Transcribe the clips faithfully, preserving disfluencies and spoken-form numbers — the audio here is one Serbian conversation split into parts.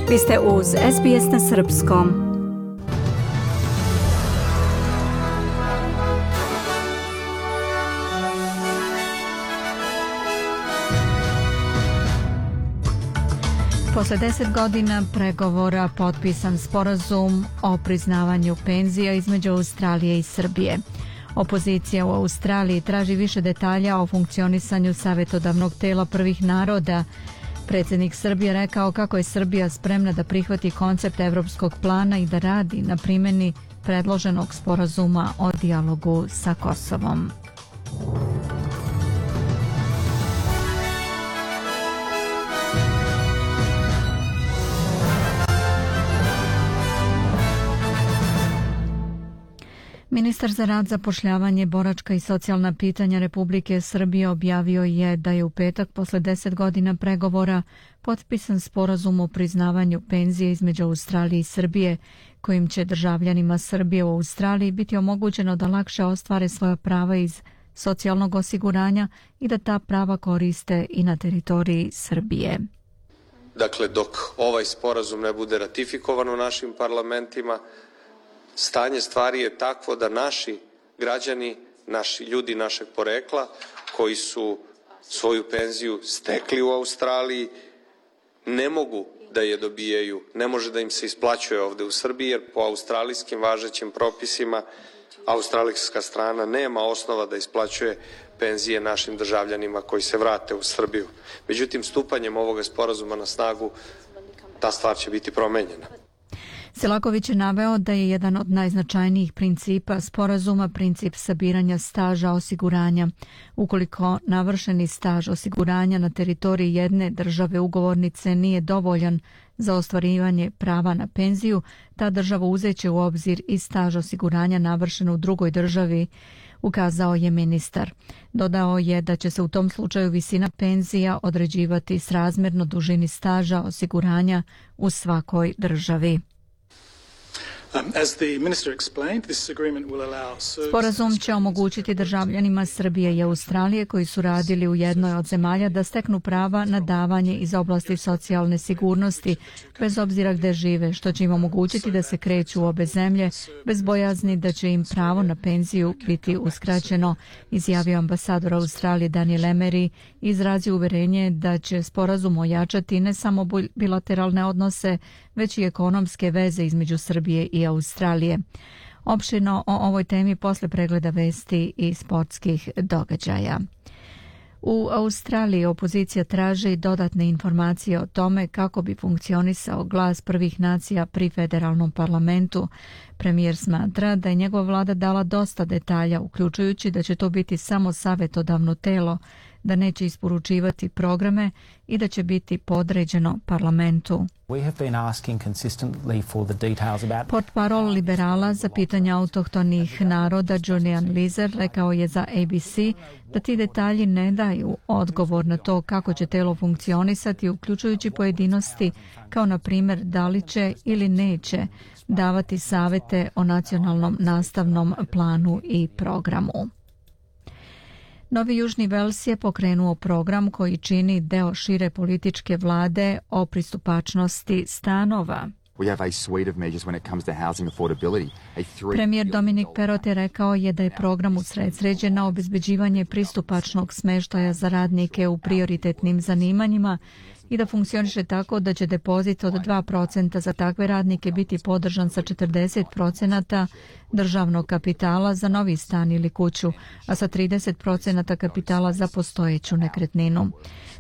Vi ste uz S B S na srpskom. Posle deset godina pregovora potpisan sporazum o priznavanju penzija između Australije i Srbije. Opozicija u Australiji traži više detalja o funkcionisanju savjetodavnog tela prvih naroda. Predsjednik Srbije rekao kako je Srbija spremna da prihvati koncept evropskog plana i da radi na primjeni predloženog sporazuma o dijalogu sa Kosovom. Ministar za rad, zapošljavanje, boračka i socijalna pitanja Republike Srbije objavio je da je u petak posle deset godina pregovora potpisan sporazum o priznavanju penzije između Australije i Srbije, kojim će državljanima Srbije u Australiji biti omogućeno da lakše ostvare svoja prava iz socijalnog osiguranja i da ta prava koriste i na teritoriji Srbije. Dakle, dok ovaj sporazum ne bude ratifikovan u našim parlamentima, stanje stvari je takvo da naši građani, naši ljudi našeg porekla koji su svoju penziju stekli u Australiji ne mogu da je dobijaju, ne može da im se isplaćuje ovde u Srbiji jer po australijskim važećim propisima australijska strana nema osnova da isplaćuje penzije našim državljanima koji se vrate u Srbiju. Međutim, stupanjem ovoga sporazuma na snagu ta stvar će biti promenjena. Selaković je naveo da je jedan od najznačajnijih principa sporazuma princip sabiranja staža osiguranja. Ukoliko navršeni staž osiguranja na teritoriji jedne države ugovornice nije dovoljan za ostvarivanje prava na penziju, ta država uzeće u obzir i staž osiguranja navršen u drugoj državi, ukazao je ministar. Dodao je da će se u tom slučaju visina penzija određivati srazmjerno dužini staža osiguranja u svakoj državi. Sporazum će omogućiti državljanima Srbije i Australije koji su radili u jednoj od zemalja da steknu prava na davanje iz oblasti socijalne sigurnosti, bez obzira gde žive, što će im omogućiti da se kreću u obe zemlje, bez bojazni da će im pravo na penziju biti uskraćeno, izjavio ambasador Australije Daniel Emery i izrazio uverenje da će sporazum ojačati ne samo bilateralne odnose, već i ekonomske veze između Srbije i Australije. Opširno o ovoj temi posle pregleda vesti i sportskih događaja. U Australiji opozicija traži dodatne informacije o tome kako bi funkcionisao glas prvih nacija pri federalnom parlamentu. Premijer smatra da je njegova vlada dala dosta detalja, uključujući da će to biti samo savjetodavno telo, da neće isporučivati programe i da će biti podređeno parlamentu. Portparol liberala za pitanja autohtonih naroda Julian Lizer rekao je za A B C da ti detalji ne daju odgovor na to kako će telo funkcionisati, uključujući pojedinosti kao na primjer da li će ili neće davati savete o nacionalnom nastavnom planu i programu. Novi Južni Vels je pokrenuo program koji čini deo šire političke vlade o pristupačnosti stanova. Premijer Dominik Perrott je rekao je da je program usredsređen na obezbeđivanje pristupačnog smeštaja za radnike u prioritetnim zanimanjima i da funkcioniše tako da će depozit od dva procenta za takve radnike biti podržan sa četrdeset procenta državnog kapitala za novi stan ili kuću, a sa trideset procenta kapitala za postojeću nekretninu.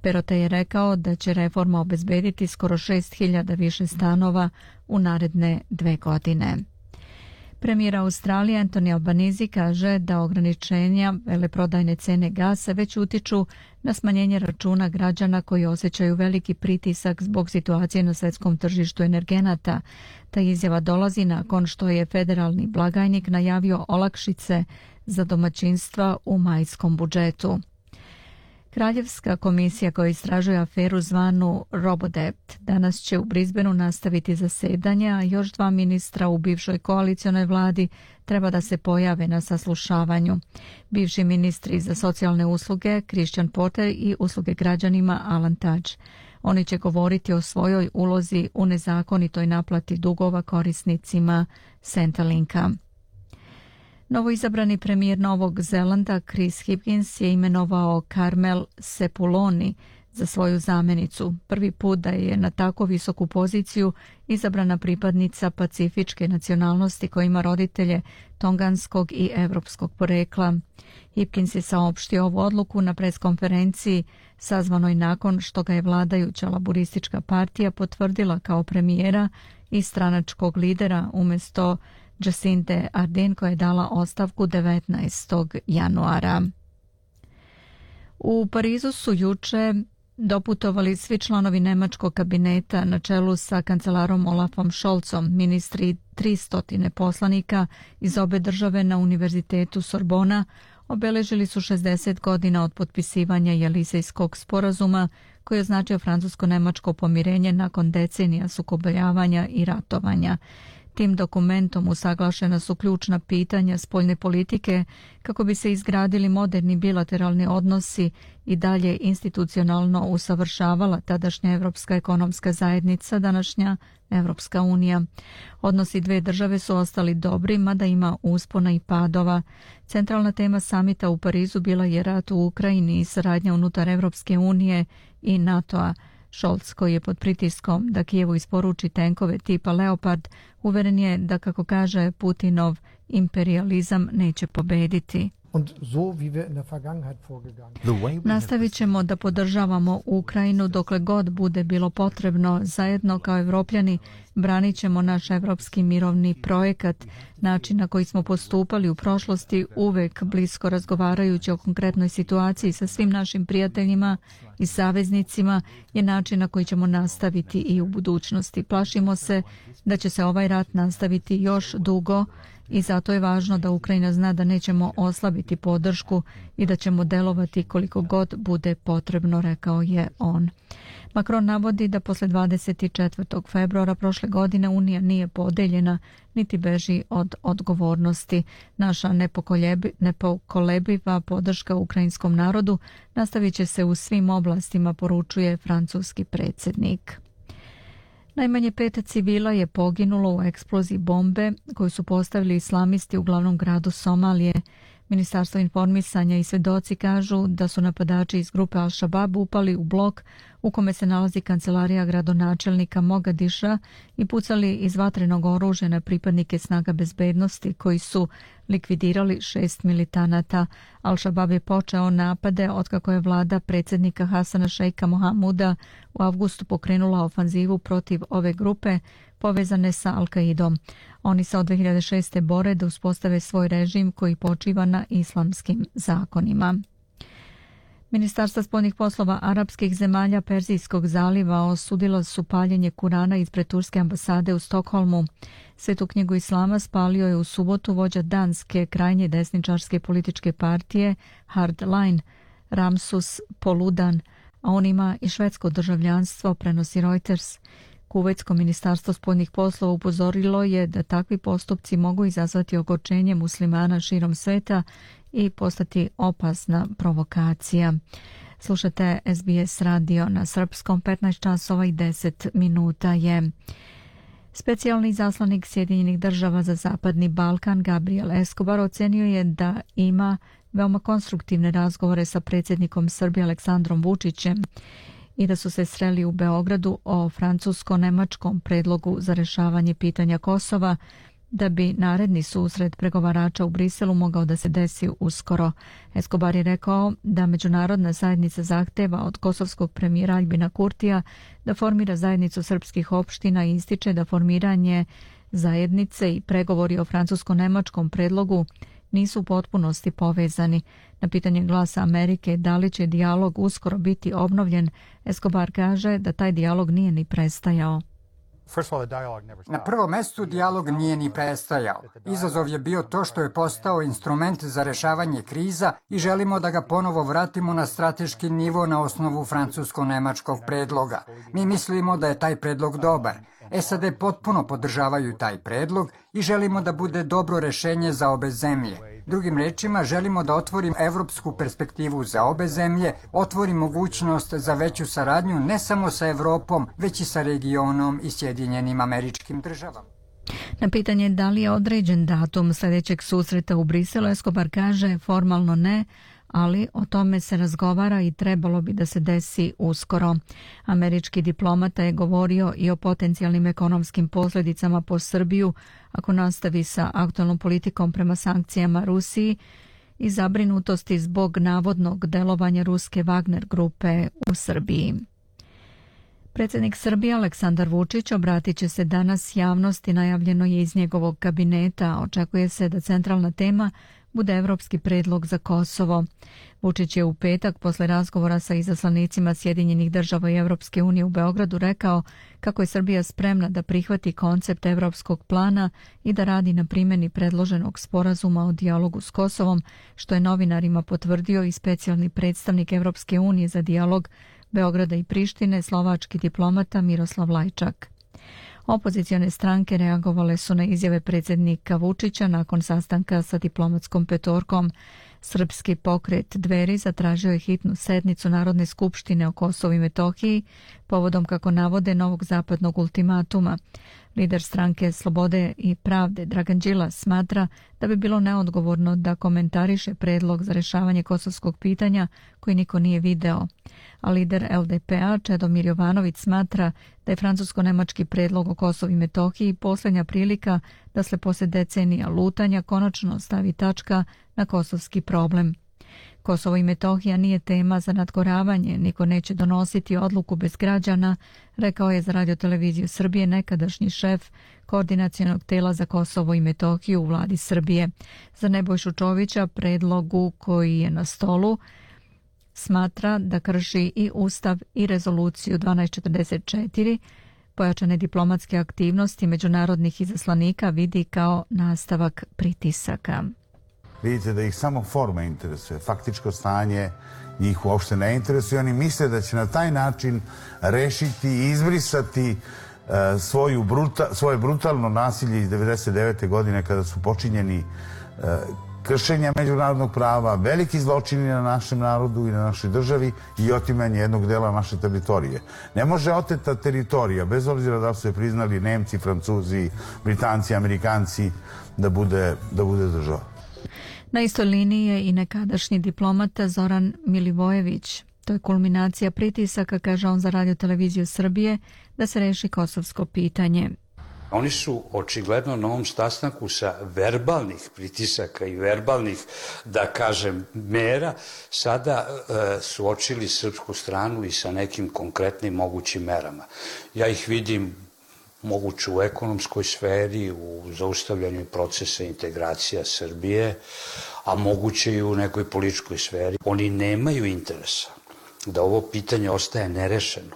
Perrott je rekao da će reforma obezbediti skoro šest hiljada više stanova u naredne dve godine. Premijer Australije Anthony Albanese kaže da ograničenja veleprodajne cene gasa već utiču na smanjenje računa građana koji osjećaju veliki pritisak zbog situacije na svetskom tržištu energenata. Ta izjava dolazi nakon što je federalni blagajnik najavio olakšice za domaćinstva u majskom budžetu. Kraljevska komisija koja istražuje aferu zvanu Robodebt danas će u Brisbaneu nastaviti zasedanje, a još dva ministra u bivšoj koalicionoj vladi treba da se pojave na saslušavanju. Bivši ministri za socijalne usluge Christian Porter i usluge građanima Alan Tudge. Oni će govoriti o svojoj ulozi u nezakonitoj naplati dugova korisnicima Centrelinka. Novoizabrani premijer Novog Zelanda Chris Hipkins je imenovao Carmel Sepuloni za svoju zamjenicu. Prvi put da je na tako visoku poziciju izabrana pripadnica pacifičke nacionalnosti koja ima roditelje tonganskog i evropskog porekla. Hipkins je saopštio ovu odluku na preskonferenciji sazvanoj nakon što ga je vladajuća laburistička partija potvrdila kao premijera i stranačkog lidera umjesto Jacinte Ardern koja je dala ostavku devetnaestog januara. U Parizu su juče doputovali svi članovi nemačkog kabineta na čelu sa kancelarom Olafom Scholzom, ministri tristo poslanika iz obe države na Univerzitetu Sorbona obeležili su šezdeset godina od potpisivanja Jelisejskog sporazuma koji je označio francusko-nemačko pomirenje nakon decenija sukobljavanja i ratovanja. Tim dokumentom usaglašena su ključna pitanja spoljne politike kako bi se izgradili moderni bilateralni odnosi i dalje institucionalno usavršavala tadašnja Evropska ekonomska zajednica, današnja Evropska unija. Odnosi dve države su ostali dobri, mada ima uspona i padova. Centralna tema samita u Parizu bila je rat u Ukrajini i saradnja unutar Evropske unije i NATO-a. Scholz, koji je pod pritiskom da Kijevu isporuči tenkove tipa Leopard, uveren je da, kako kaže, Putinov imperializam neće pobediti. Nastavit ćemo da podržavamo Ukrajinu dokle god bude bilo potrebno. Zajedno kao Evropljani branit ćemo naš evropski mirovni projekat. Način na koji smo postupali u prošlosti, uvek blisko razgovarajući o konkretnoj situaciji sa svim našim prijateljima i saveznicima, je način na koji ćemo nastaviti i u budućnosti. Plašimo se da će se ovaj rat nastaviti još dugo i zato je važno da Ukrajina zna da nećemo oslabiti podršku i da ćemo delovati koliko god bude potrebno, rekao je on. Macron navodi da posle dvadeset četvrtog februara prošle godine Unija nije podeljena niti beži od odgovornosti. Naša nepokolebiva podrška ukrajinskom narodu nastavit će se u svim oblastima, poručuje francuski predsjednik. Najmanje pet civila je poginulo u eksploziji bombe koju su postavili islamisti u glavnom gradu Somalije. Ministarstvo informisanja i svedoci kažu da su napadači iz grupe Al-Shabaab upali u blok u kome se nalazi kancelarija gradonačelnika Mogadiša i pucali iz vatrenog oružja na pripadnike snaga bezbednosti koji su likvidirali šest militanata. Al-Shabaab je počeo napade otkako je vlada predsjednika Hasana Šejka Mohamuda u avgustu pokrenula ofanzivu protiv ove grupe povezane sa Al-Qaidom. Oni se od dve hiljade šeste. bore da uspostave svoj režim koji počiva na islamskim zakonima. Ministarstva spoljnih poslova arapskih zemalja Perzijskog zaliva osudila su paljenje Kurana ispred turske ambasade u Stokholmu. Svetu knjigu islama spalio je u subotu vođa danske krajnje desničarske političke partije Hardline Ramsus Poludan, a on ima i švedsko državljanstvo, prenosi Reuters. Kuvajtsko ministarstvo spoljnih poslova upozorilo je da takvi postupci mogu izazvati ogorčenje muslimana širom sveta i postati opasna provokacija. Slušate S B S radio na srpskom, petnaest časova i deset minuta je. Specijalni izaslanik Sjedinjenih država za Zapadni Balkan Gabriel Escobar ocenio je da ima veoma konstruktivne razgovore sa predsjednikom Srbije Aleksandrom Vučićem i da su se sreli u Beogradu o francusko-nemačkom predlogu za rješavanje pitanja Kosova, da bi naredni susret pregovarača u Briselu mogao da se desi uskoro. Escobar je rekao da međunarodna zajednica zahteva od kosovskog premijera Aljbina Kurtija da formira zajednicu srpskih opština i ističe da formiranje zajednice i pregovori o francusko-nemačkom predlogu nisu u potpunosti povezani. Na pitanje Glasa Amerike da li će dijalog uskoro biti obnovljen, Escobar kaže da taj dijalog nije ni prestajao. Na prvom mestu dijalog nije ni prestajao. Izazov je bio to što je postao instrument za rešavanje kriza i želimo da ga ponovo vratimo na strateški nivo na osnovu francusko-nemačkog predloga. Mi mislimo da je taj predlog dobar. S A D potpuno podržavaju taj predlog i želimo da bude dobro rešenje za obe zemlje. Drugim rečima, želimo da otvorimo evropsku perspektivu za obe zemlje, otvori mogućnost za veću saradnju ne samo sa Evropom, već i sa regionom i Sjedinjenim Američkim Državama. Na pitanje da li je određen datum sljedećeg susreta u Briselu, Escobar kaže formalno ne, ali o tome se razgovara i trebalo bi da se desi uskoro. Američki diplomata je govorio i o potencijalnim ekonomskim posljedicama po Srbiju ako nastavi sa aktualnom politikom prema sankcijama Rusiji i zabrinutosti zbog navodnog delovanja ruske Wagner grupe u Srbiji. Predsjednik Srbije Aleksandar Vučić obratit će se danas javnosti, najavljeno je iz njegovog kabineta. Očekuje se da centralna tema bude evropski predlog za Kosovo. Vučić je u petak posle razgovora sa izaslanicima Sjedinjenih država i Evropske unije u Beogradu rekao kako je Srbija spremna da prihvati koncept evropskog plana i da radi na primjeni predloženog sporazuma o dijalogu s Kosovom, što je novinarima potvrdio i specijalni predstavnik Evropske unije za dijalog Beograda i Prištine, slovački diplomata Miroslav Lajčak. Opozicione stranke reagovale su na izjave predsjednika Vučića nakon sastanka sa diplomatskom petorkom. Srpski pokret Dveri zatražio je hitnu sednicu Narodne skupštine o Kosovu i Metohiji povodom, kako navode, novog zapadnog ultimatuma. Lider stranke Slobode i pravde Dragan Đilas smatra da bi bilo neodgovorno da komentariše predlog za rješavanje kosovskog pitanja koji niko nije video. A lider L D P A Čedomir Jovanović smatra da je francusko-nemački predlog o Kosovu i Metohiji posljednja prilika da se poslije decenija lutanja konačno stavi tačka na kosovski problem. Kosovo i Metohija nije tema za nadgoravanje, niko neće donositi odluku bez građana, rekao je za Radioteleviziju Srbije nekadašnji šef koordinacionog tela za Kosovo i Metohiju u vladi Srbije. Za Nebojšu Čovića predlogu koji je na stolu smatra da krši i Ustav i rezoluciju dvanaest četrdeset četiri, pojačane diplomatske aktivnosti međunarodnih izaslanika vidi kao nastavak pritisaka. Vidite da ih samo forma interesuje, faktičko stanje njih uopšte ne interesuje. Oni misle da će na taj način rešiti i izbrisati uh, svoju bruta, svoje brutalno nasilje iz devedeset devete godine kada su počinjeni uh, kršenja međunarodnog prava, veliki zločini na našem narodu i na našoj državi i otimanje jednog dela naše teritorije. Ne može oteta teritorija, bez obzira da su je priznali Nemci, Francuzi, Britanci, Amerikanci, da bude, da bude država. Na istoj liniji je i nekadašnji diplomata Zoran Milivojević. To je kulminacija pritisaka, kaže on za Radioteleviziju Srbije, da se reši kosovsko pitanje. Oni su očigledno na ovom sastanku sa verbalnih pritisaka i verbalnih, da kažem, mera, sada e, suočili srpsku stranu i sa nekim konkretnim mogućim merama. Ja ih vidim moguće u ekonomskoj sferi, u zaustavljanju procesa integracija Srbije, a moguće i u nekoj političkoj sferi. Oni nemaju interesa da ovo pitanje ostaje nerešeno,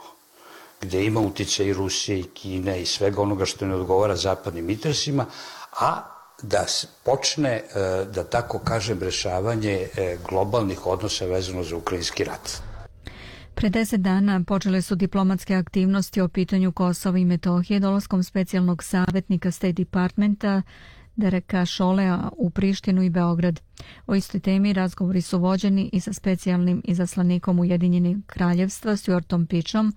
gde ima uticaj i Rusije i Kine i svega onoga što ne odgovara zapadnim interesima, a da počne, da tako kažem, rešavanje globalnih odnosa vezano za ukrajinski rat. Pre deset dana počele su diplomatske aktivnosti o pitanju Kosova i Metohije dolaskom specijalnog savjetnika State Departmenta Dereka Šolea u Prištinu i Beograd. O istoj temi razgovori su vođeni i sa specijalnim izaslanikom Ujedinjenih kraljevstva Stuartom Pičom,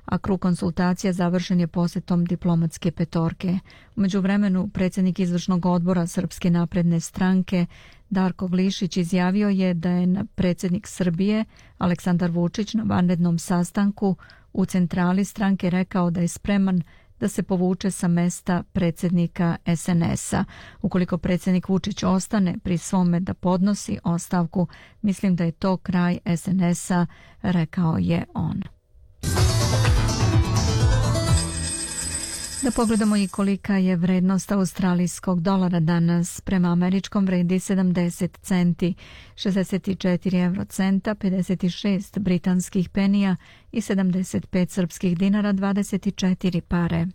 a krug konsultacija završen je posjetom diplomatske petorke. U međuvremenu predsjednik izvršnog odbora Srpske napredne stranke Darko Glišić izjavio je da je predsjednik Srbije Aleksandar Vučić na vanrednom sastanku u centrali stranke rekao da je spreman da se povuče sa mesta predsjednika S N S-a. Ukoliko predsjednik Vučić ostane pri svome da podnosi ostavku, mislim da je to kraj S N S-a, rekao je on. Da pogledamo i kolika je vrednost australijskog dolara danas. Prema američkom vredi sedamdeset centi, šezdeset četiri eurocenta, pedeset šest britanskih penija i sedamdeset pet srpskih dinara, dvadeset četiri pare.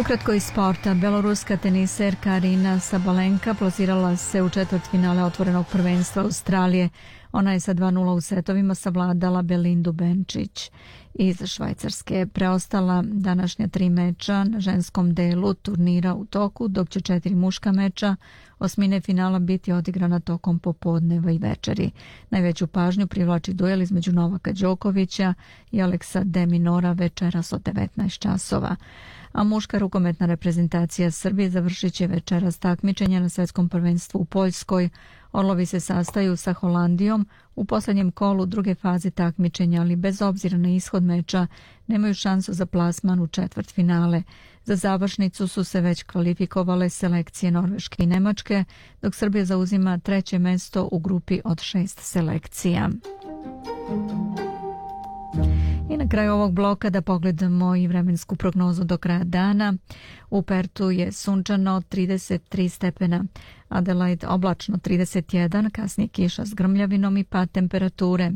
Ukratko iz sporta, beloruska teniserka Arina Sabalenka plasirala se u četvrtfinale otvorenog prvenstva Australije. Ona je sa dva nula u setovima savladala Belindu Benčić iz Švajcarske. Preostala današnja tri meča na ženskom delu turnira u toku, dok će četiri muška meča osmine finala biti odigrana tokom popodneva i večeri. Najveću pažnju privlači duel između Novaka Đokovića i Aleksa de Minora večeras od devetnaest časova. A muška rukometna reprezentacija Srbije završit će večeras takmičenje na svetskom prvenstvu u Poljskoj. Orlovi se sastaju sa Holandijom u posljednjem kolu druge faze takmičenja, ali bez obzira na ishod meča nemaju šansu za plasman u četvrtfinale. Za završnicu su se već kvalifikovale selekcije Norveške i Nemačke, dok Srbija zauzima treće mesto u grupi od šest selekcija. I na kraju ovog bloka da pogledamo i vremensku prognozu do kraja dana. U Pertu je sunčano trideset tri stepena, Adelaide oblačno trideset jedan, kasnije kiša s grmljavinom i pad temperature.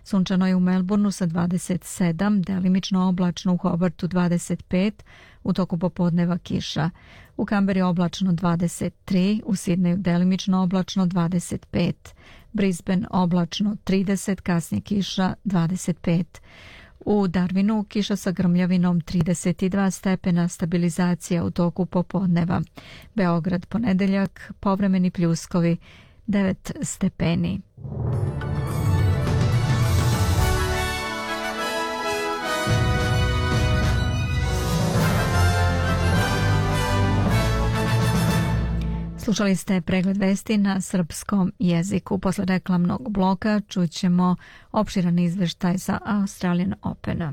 Sunčano je u Melbourneu sa dvadeset sedam, delimično oblačno u Hobartu dvadeset pet, u toku popodneva kiša. U Kamberi oblačno dvadeset tri, u Sidneju delimično oblačno dvadeset pet, Brisbane oblačno trideset, kasnije kiša dvadeset pet. U Darwinu kiša sa grmljavinom trideset dva stepena, stabilizacija u toku popodneva. Beograd ponedeljak, povremeni pljuskovi devet stepeni. Slušali ste pregled vesti na srpskom jeziku. Posle reklamnog bloka čućemo opširan izveštaj sa Australian Opena.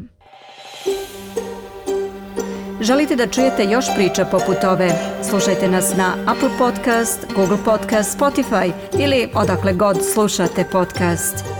Želite da čujete još priča poput ove? Slušajte nas na Apple Podcast, Google Podcast, Spotify ili odakle god slušate podcast.